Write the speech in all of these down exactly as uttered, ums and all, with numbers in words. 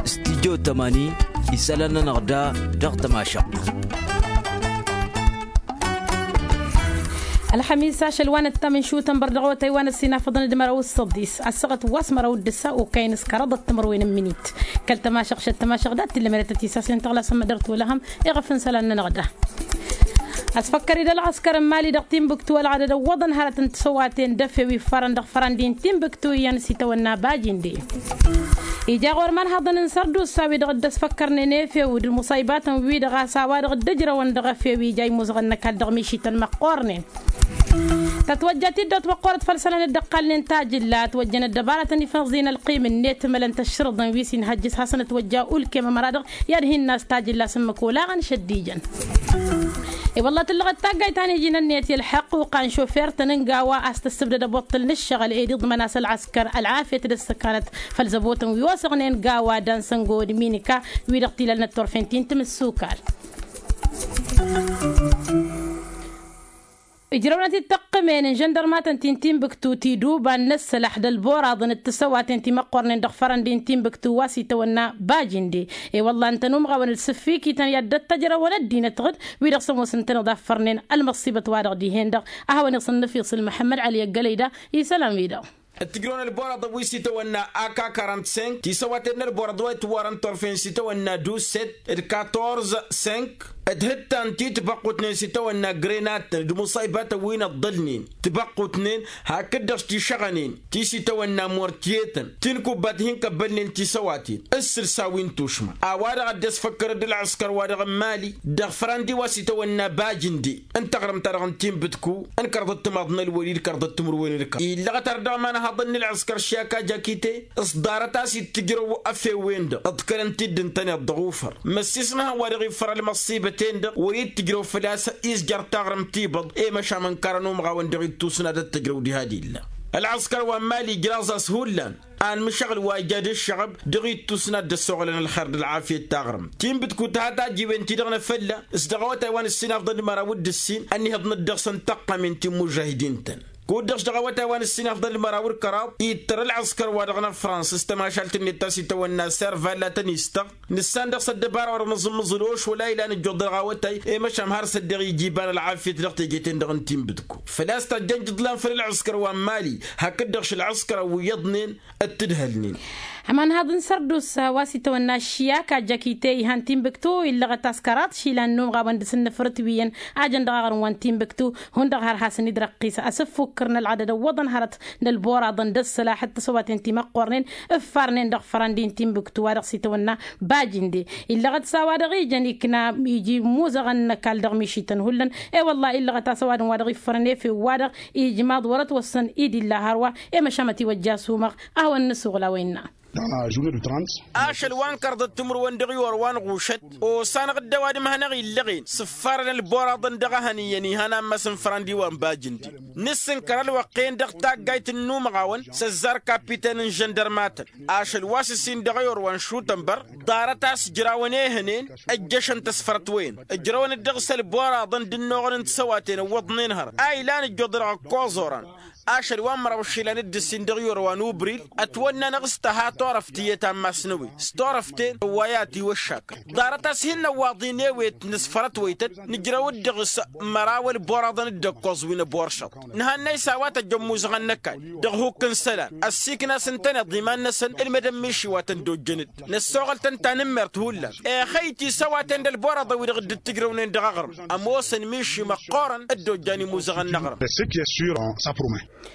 Studyo tămani isălan-nănăɣ da dăɣ-tămašăɣt. Ălxămis ašăl wa n-ăttămănšutăn bărdăɣ awătay wa n-ăssinafăḍăn d-măraw s-săḍis ăssăɣăt wa s-măraw d-ǝssa okăyăn s-kăraḍăt timǝrwen n-imǝnit. Kăl-tămašăɣt šăt tămašăɣt dat-t illa măretăt isasen tăɣlasăn mădăr tolăhăm iɣăf n-isălan-nănăɣ da. Ăsfăkkăr-dd ălɣăskăr n-imali dăɣ-timbǝktu ălɣădăd ăwwăḍăn hărăt n-tisăwaten d-efew iffarăn dăɣ-fărăn d-intimbǝktu iyyăn s-itawănna bajinde. Ija ɣur-imanhăḍăn n-sărdusa-wi-dăɣ dd-ăsfăkkărnen efew d-muṣaybatăn-wi-dăɣ a-s a-wa-dăɣ dd-ǝjrăwăn dăɣ-efew ija imuzăɣăn n-ăkall dăɣ-mišităn măqqoornen. Tătwăjja tiddot măqqoorăt făll-isălan dd-ăqqalnen tajǝlla ătwăjjăn ăddăbaratăn ifăẓ-in ălqim-net mălăn-t ăššărǝḍăn wi s-inhăjjǝs hasăn-ătwăjja ulkem ămăra-dăɣ i-ad-hin-nas tajǝlla s-ǝmmǝk olaɣăn šăddijăn. I-wălla tǝllăɣăt taggayt ta n-iji n-ǝnniyăt i-ălḥăqq uqan šofer-tăn n-gawa a-s tăssǝbdăd ăboṭṭǝl n-ǝššăɣǝl ed iḍmăn-as ălɣăskăr ălɣafyăt d-ǝssǝkanăt făll-zăbotăn wi osăɣnen gawa dansăn gowăd minika wi-dăɣ t-ilalnăt turfen ti n-timǝssukal. Ǝjrăwnăt-dd tăqqǝmen n-žăndărmatăn ti n-timbǝktu tiduba n-inǝssălăx d-ălboraḍăn d-tisăwaten ti măqqornen dăɣ-fărăn d-intimbǝktu wa s-itawănna bajinde. I-wălla ǝntăn umɣawăn d-sǝffikităn i-ad-dd-ăttăjrăwăn ăddinăt ɣǝd wi-dăɣ s-ămoos ǝntăneḍ a ǝffărnen ălmăṣṣibăt-wa-dăɣ dihen-dăɣ. A hawăn-iṣǝnnǝf iṣǝl măḥămmăd ăli ăggălăy da isălan-wi-dăɣ. Ăttǝjrăwăn ălboraḍăn wi s-itawănna ak quarante-cinq tisăwaten n-ălboraḍ wa itwărăn turfen s-itawănna douze sept d-quatorze cinq d-hǝttan ti tibăqqutnen s-itawănna grenadtăn d-muṣaybatăn wi n-ăḍḍălnen tibăqqutnen hakd-dăɣ s-tišăɣănen ti s-itawănna mortiyetăn ti n-kubbat hin-kăbbălnen tisăwaten ǝssǝlsa wi n-tušma a-wa-dăɣ a dd-ăsfăkkărăd ălɣăskăr-wa-dăɣ n-mali dăɣ-fărandi wa s-itawănna bajǝnde n-taɣrǝmt-ta-dăɣ n-tinbǝtku n-kărḍăt timaḍ n-ălwăli d-kărḍăt timǝrwen d-kăraḍ illăɣăt ar dăɣ-imanhaḍăn n-ălɣăskăr šiyaka jakite s-ḍarăt a-s ittǝjrăw efew-en-dăɣ ǝḍkălăn-t-dd ǝntăneḍ dăɣ-ufăr măssisnăhăn wa dăɣ-iffăr ălmăṣṣibăten-dăɣ wăr-ittǝjrăw făl-a-s izjăr taɣrǝmt tibăḍ i-măšan ănkărăn umɣawăn dăɣ-ittus n-ad-ăttǝjrăw diha d-illa. Ălɣăskăr wa n-mali ǝjraẓ-as hullan anmǝšăɣǝl wa ija d-ǝššăɣăb dăɣ-ittus n-ad-dd-ăssoɣlăn ălxer d-ălɣafyăt taɣrǝmt tinbǝtku tǝha tajiwen-ti-dăɣ n-efălla s-dăɣ awătay wa n-ǝssinafḍăn d-măraw d-ǝssin ănnihăḍnăt dăɣ-săn tăqqamen ti n-imužžahidin-tăn. Kud-dăɣ s-dăɣ awătay wa n-ǝssinafḍăn d-măraw d-kăraḍ ittăr ălɣăskăr-wa-dăɣ n-ăfrans s-tămašalt-net ta s-itawănna serva latăn-istăɣ nǝssan dăɣ-s ăddăbara wa dăɣ-nǝẓǝmmǝẓǝl ošwăl a ilan ǝjjuḍ dăɣ-awătay i-măšan har s-ăddeɣ iji iba n-ălɣafyăt dăɣ-teje-ten-dăɣ n-tinbǝtku făl-a-s tajjăn jǝḍlan făll-ălɣăskăr wa n-mali hakd-dăɣ šălɣăskărăn wi iyyăḍnen ăttǝdhălnen. Ămanhaḍ n-sărdusa wa s-itawănna ăššiyaka jăkite ihan tinbǝktu illăɣăt askăraḍ išilan n-umɣawăn dăɣ-s ǝnnǝfrǝt wi iyyăn a jăn dăɣ-aɣrǝm wa n-tinbǝktu hundăɣ har hasăn-dd-răqqis asǝffukkăr n-ălɣădăd ăwwăḍăn hărăt n-ălboraḍăn d-ăssălaḥăt tisăwaten ti măqqornen ǝffarnen dăɣ-fărăn d-intinbǝktu wa dăɣ-s itawănna bajinde illăɣăt s-a-wa-dăɣ ijăn ikna iji imuzăɣăn n-ăkall dăɣ-mišităn hullan. I-wălla illăɣăt a-s ăwadǝm wa dăɣ-iffărăn efew-wa-dăɣ ijmaḍ wăr-ătwăssan i-dd-illa hărwa i-măšan mătiwăjja asumăɣ a hawăn-nǝsuɣǝl a-wa innă. Ašăl wa n-kărḍăt timǝrwen dăɣ-iwăr wa n-ɣušăt osanăɣ-dd ăwadǝm hanăɣ-illăɣen s-ǝffarăn ălboraḍăn dăɣ-ehăn iyyăn ihăn ammas n-fărandi wa n-bajǝndi nǝssǝnkăr ălwăqq-en dăɣ-taggayt n-inumăɣawăn s-ăzzar kapiten n-žăndărmatăn ašăl wa s-ǝssin dăɣ-iwăr wa n-šutănbăr ḍarăt a-s ǝjrawăn ehănen ăjjăšăn tăsfărăt-wen ǝjrăwăn-dd dăɣ-s ălboraḍăn d-ǝnnuɣăn n-tisăwaten ǝwwăḍnen hărăt a ilan ǝjjuḍ dăɣ-ăkkoẓ oran. Ašăl wa n-măraw išilan d-ǝssin dăɣ-iwăr wa n-ubril ătwănna-năɣ s-tăha turăft iyyăt ammas n-ewet s-turăft-en ăwway a tiwăššakăt ḍarăt a-s hin-năwwaḍ-in ewet nǝsfărătwăytăt nǝjrăw-dd dăɣ-s măraw ălboraḍăn d-ăkkoẓ wi n-ăboršăḍ. Nǝhannăy s-a-wa tăjj ămmuẓăɣăn n-ăkall dăɣ-hukk n-isălan ăssiiknas ǝntăneḍ iman-năsăn ǝlmădăn miši wa tăn-dd-ojjăn-dd năssoɣăl-tăn tanǝmmert hullan. Exăy tisăwaten d-ălboraḍăn-wi-dăɣ dd-ǝttǝjrăwnen dăɣ-aɣrǝm ămoosăn miši măqqoorăn dd-ojjan imuzăɣăn n-aɣrǝm.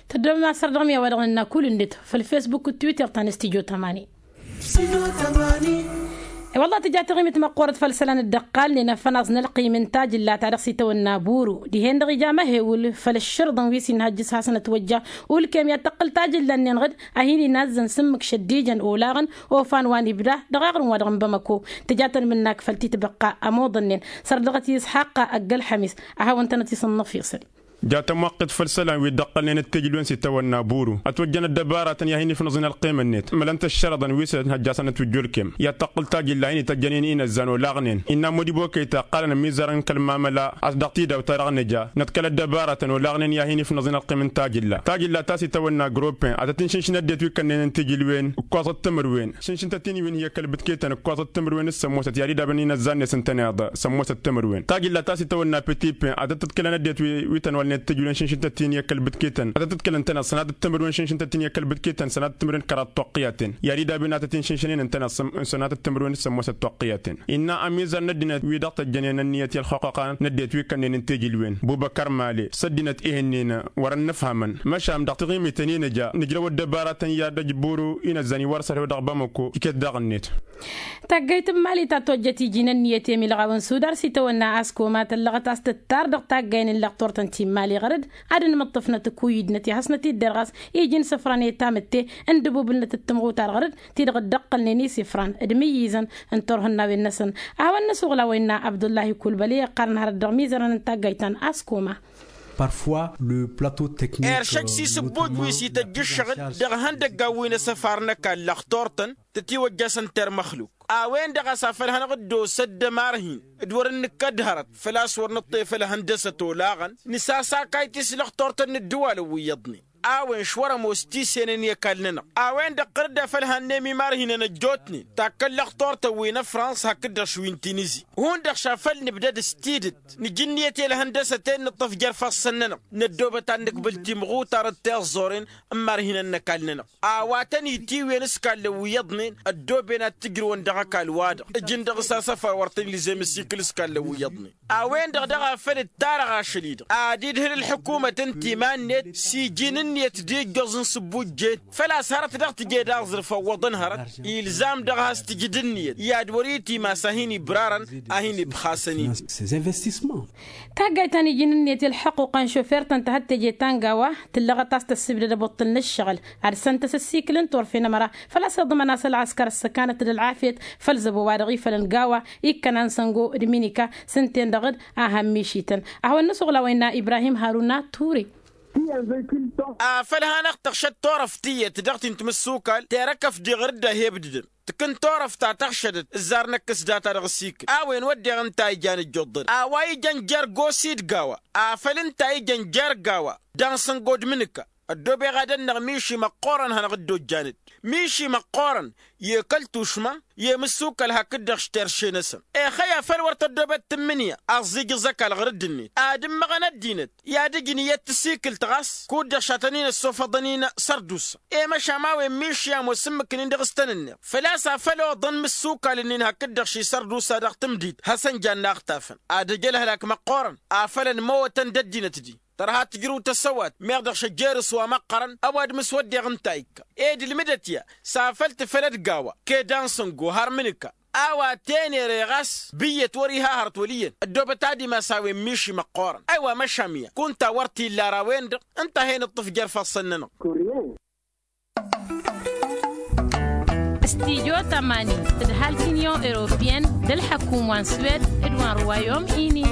Tăddobem asăr dăɣ-mi a-wa dăɣ-nǝnna kull-net făll-fesbuk d-twitter ta n-studyo tămani. I-wălla tǝja taɣimit măqqoorăt făll-isălan dd-ăqqalnen afănaẓ n-ălqim n-tajǝlla ta dăɣ-s itawănna buru dihen-dăɣ ija măhewǝl făll-ǝššǝrǝḍăn wi s-inhăjjǝs hasăn-ătwăjja ulkem i-ad-tăqqǝl tajǝlla-nin ɣǝd a hin-inazzăn s-ǝmmǝk šăddijăn olaɣăn ofan wa n-ibda dăɣ-aɣrǝm wa dăɣ-n bamăko. Tǝja tănmǝnnak făll-titbăqqa ămoḍănnen sărdăɣăt i-isxaqqa ăgg-ălxămis a hawăn-tănăt-isǝnnăf isǝl. Ja tămwăqqit făll-isălan wi dd-ăqqălnen d-tijlwen s-itawănna buru ătwăjjăn ăddăbaratăn i-ad-hin-ifnăẓen ălqimăn-net mălăn-t ăššărăḍăn wi s-hăjjasăn ătwǝjjulkem i-ad-tăqqǝl tajǝlla a hin-ităjjănen inăzzan olaɣnen innă modibo kăyta ǝqqalăn ămizărăn kăl-mamăla a-s dăɣ-tidawt-ta-dăɣ nǝja năḍkăl ăddăbaratăn olaɣnen i-ad-hin-ifnăẓen ălqim n-tajǝlla tajǝlla ta s-itawănna gruppen ad-tăt-inšǝnšǝn ăddinăt wi kănnen n-tijǝlwen ǝkkoẓăt timǝrwen šǝnšǝn-tăt-in wi n-hi-ăkall bǝtketăn ǝkkoẓăt timǝrwen s-sămmosăt i-ad-idabăn inăzzan-net ǝntăneḍ sămmosăt timǝrwen tajǝlla ta s-itawănna petipen ad-tăt-tǝḍkǝlăn ăddinăt wi tăn-wălnen tijǝlwen šǝnšǝn-tăt-in i-ăkall bǝtketăn ad-tăt-tǝḍkǝlăn ǝntăneḍ sănatăt timǝrwen šǝnšǝn-tăt-in i-ăkall bǝtketăn sănatăt timǝrwen kăraḍ toqqǝyaten i-ad-idabăn ad-tăt-inšǝnšǝnen ǝntăneḍ sănatăt timǝrwen s-sămmosăt toqqǝyaten innă ămizăr n-ăddinăt wi dăɣ-tăjjănen ănniyăt i-ălxuqqa n-ăddinăt wi kănnen n-tijǝlwen bubăkăr male s-ăddinăt ehǝnnen wăr-ănnăfhamăn măšan dăɣ-taɣimiten i-nǝja nǝjrăw ăddăbaratăn i-ad-ăjburu inăzzan iwar s-ărhew dăɣ-bamăko iket daɣ-net. Taggayt n-mali ta tojjăt iji n-ǝnniyăt i-milɣaw n-sudar s-itawănna askoma tăllăɣăt a-s tǝttar dăɣ-taggayen n-lăxturtăn ti n-mali ɣăr-dd ad-ănmǝṭṭǝfnăt ǝkuyǝdnăt i-hasnăt-dd-derɣas iji n-isǝfran i-tamǝtte n-dăbubǝlnăt d-timɣutar ɣăr-dd ti-dăɣ dd-ăqqălnen isǝfran d-imǝyyǝzăn n-turhǝnnawen-năsăn. A-wa n-năsuɣla wa innă abdullahi kulbăli iqqarăn hărăt dăɣ-imizărăn n-taggayt ta n-askoma. Parfois le plateau technique. Eršăj s-isǝbbuj wi s-ităjj ǝššăɣǝl dăɣ-ihăndăggan wi n-asăfar n-ăkall lăxturtăn tătiwăjjasăn termăxluk a-wen-dăɣ a-s afăl hanăɣ-dd-osăt d-ămarhin d-wăr-ǝnnǝkkăd hărăt făl-a-s wăr nǝṭṭef ălhăndăsăt olaɣăn nǝsasakayt-i s-lăxturtăn n-ǝddǝwalăn wi iyyăḍnen a-wen šwăr-ămoos tisenen i-ăkall-nănăɣ a-wen-dăɣ ɣăr-dd a făl hannăm imarhinăn ăjjootnen takkăn lăxturtăn wi n-ăfrans hakd-dăɣ šwi n-tinizi hundăɣ šafăl nǝbdăd s-tidǝt nǝj ǝnniyăt i-ălhăndăsăt-en nǝṭṭăf jer-ifassăn-nănăɣ năddoobăt ad-nǝkbǝl timɣutar d-tiẓẓoren n-imarhinăn n-ăkall-nănăɣ a-wa tăn-itiwǝyăn s-kallăn wi iyyăḍnen ăddooben ad-t-ǝjrǝwăn dăɣ-ăkall-wa-dăɣ ǝjǝn dăɣ-s asăfar wăr tăn-ilzem ăsikǝl s-kallăn wi iyyăḍnen a-wen-dăɣ daɣ a făl ǝttarăɣ ašăl-i-dăɣ ad-idhǝl ǝlḥǝkumăt n-timan-net s-iji n-ǝnniyăt d-ijjoẓ n-isǝbbujjen făl-a-s hărăt dăɣ-tǝjed aẓrǝf ăwwăḍăn hărăt ilzam dăɣ-has-tǝjǝd ǝnniyăt i-ad-wăr-itimas a hin-ibrarăn a hin-ibxasăn-in. Taggayt ta n-iji n-ǝnniyăt i-ălḥăquqa n-šofer-tăn tăhăt teje ta n-gawa tǝllăɣăt a-s tăssibdăd ăbuṭṭǝl n-ǝššăɣǝl ad-săn tăsăssikǝl n-turfen ămăra făl-a-s iḍmăn a-s ălɣăskăr ăssăkanăt d-ălɣafyăt făll-zăbo wa dăɣ-ifălăn gawa ikkănan săngo d-minika s-ǝnta-en-dăɣ d-a han-mišităn. Ad-hawăn-nǝsuɣǝl a-wa innă ibrahim haruna ture. Afăl hanăɣ-tăɣšăd turăft tiyyăt dăɣ-ti n-timǝssukal terăkăf diɣ ɣur-dd a he-ǝbdǝdăn tǝkǝn turăft ta tăɣšădăt ǝzzar năkk s-data dăɣ-asikǝl a-wen wădden ǝnta a ijan ǝjjuḍăd a-wa ijăn jer-gosi d-gawa afăl ǝnta a ijăn jer-gawa dansăn godmǝnǝka ăddoobeɣ ad-ănnăɣ miši măqqoorăn hanăɣ-dd-ojjanăt miši măqqoorăn i-kăl-tušma i-mǝssukal hakd-dăɣ s-terše-năsăn. Exăy afăl wăr tăddoobăt tǝmmǝnǝya ăẓẓijǝẓ ăkall ɣur-dd-net ad-ǝmmăɣăn ăddinăt i-ad-ǝjǝn iyyăt tasikǝlt ɣas kud-dăɣ šatăn-in-ăssofăḍăn-in sărdusa i-măšan a-wen miši ămoos ǝmmǝk-nin dăɣ-s tăn-ǝnneḍ făl-a-s afăl oḍăn imǝssukal-nin hakd-dăɣ ši-sărdusa dăɣ-tǝmdit hasăn-jan n-a ăɣtafăn ad-ăj ălhălak măqqoorăn afăl ănmăwătăn d-ăddinăt-di tărha tǝjrǝw tăsăwat meɣ dăɣ-šăjjere s-wa măqqărăn ăwadǝm s-wădden ǝnta a ikka ed ǝlmǝdăt ya s-afăl tǝfălăd gawa ked ansăngo har mǝnǝka a-wa tenere ɣas bǝyyăt wăr-iha hărăt wăl' iyyăn ăddoobăt ad-imas a-wen miši măqqoorăn. Ăywa măšan ya kunta wăr t-illa ar a-wen-dăɣ ǝnta a hen-ǝṭṭǝf jer-ifassăn-nănăɣ. Studyo tămani tǝdhal t-inyon europeyăn d-ălḥăkum wa n-swed d-wa n-ruwayom ini.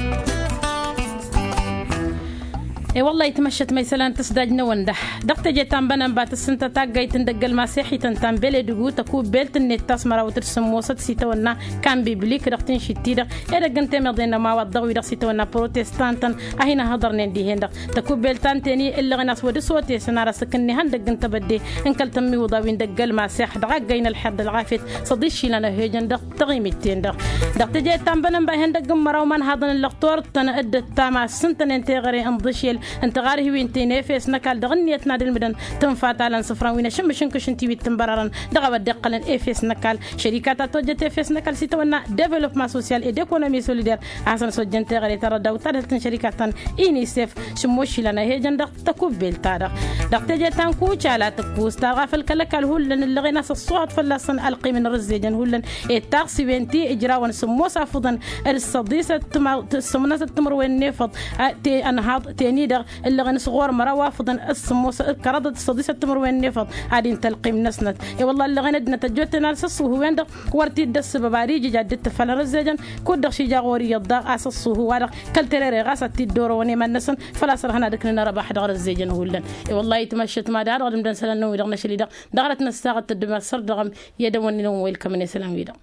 E-wălla-hi tmăššăt ma isălan tǝsdaj-năwăn dăh-dăɣ teje ta n-bănănba tǝssǝntă taggayt n-dăgg-ăl maseḥităn ta n-beledǝgu tăkubbelt-net ta s-mărawăt d-sǝmmosăt s-itawănna kan biblik dăɣ-tǝnšit-ti-dăɣ edăgg n-temeḍe n-ămawaḍ dăɣ-wi-dăɣ s-itawănna protestantăn a hin-ăhhăḍărnen dihen-dăɣ tăkubbelt ta n-teni ǝllăɣen a-s wăr dd-sotesăn ar asǝk n-ihăndăgg n-tebădde n-kăl-tămmiwǝḍa wi n-dăgg-ălmasex dăɣ-aggăy n-ălxer d-ălɣafyăt s-ăḍišilăn ăhhejăn dăɣ-taɣimit-ten-dăɣ. Dăɣ-teje ta n-bănănba ihăndăgg n-măraw imanhaḍăn n-lăxtor tăn-dd-ăttam a ǝssǝntănen teɣăre n-iḍǝšel n-tiɣarhiwen ti n-efes n-ăkall dăɣ-ǝnniyăt n-ad-ǝlmǝdăn tǝnfa talăn isǝfran wi n-ašǝmmǝš n-kǝšǝnti wi t-ǝnbărărăn dăɣ-a-wa dd-iqqălăn efes n-ăkall šărika ta tojjăt efes n-ăkall s-itawănna developma sosyal ed ekonomi solider a hasăn-ăsojjăn teɣăre ta dăɣ-dawt tadhǝlt n-šărika ta n-inisef šǝmmošilăn ăhhejăn dăɣ-tăkubbelt-ta-dăɣ. Dăɣ-teje ta n-kucala tǝkkus tarɣa făll-kăl-ăkall hullan ǝllăɣen a-s ăṣṣuhăḍ fălla-săn ălqim n-rǝzzejăn hullan ed taɣsiwen ti ǝjrawăn sǝmmos afǝḍăn d-săḍisăt tǝmăr-, sămnăsăt timǝrwen n-efăḍ a te-ănhaḍ teni dăɣ-ǝllăɣen s-ɣur-măraw afǝḍăn s-sǝmmos kăraḍăt s-săḍisăt timǝrwen n-efăḍ ad-intălqim-năsnăt. I-wălla ǝllăɣen ăddinăt ăjjootnen ad-săssǝwhǝwen-dăɣ wăr t-dd-ăssǝbăb ad-ijǝj ad-dd-tǝffălăn ăzzejăn. Kud-dăɣ šija ɣur-iyyăḍ daɣ a-s ăṣṣuhu-wa-dăɣ kăl-terere ɣas ad-t-dd-orăwăn iman-năsăn. Făl-a-s ărhăn ad-ǝknǝn ărăbax dăɣ-răzzejăn hullan. I-wăllahi tmăššăt ma daɣ dăɣ-dămdăn isălan-năwăn-wi-dăɣ n-ašăl-i-dăɣ dăɣ-răt năssaɣăt tăddum asăr dăɣ-ămm i-ad-ăwwănnen ăwwăyăl kămăn isălan-wi-dăɣ.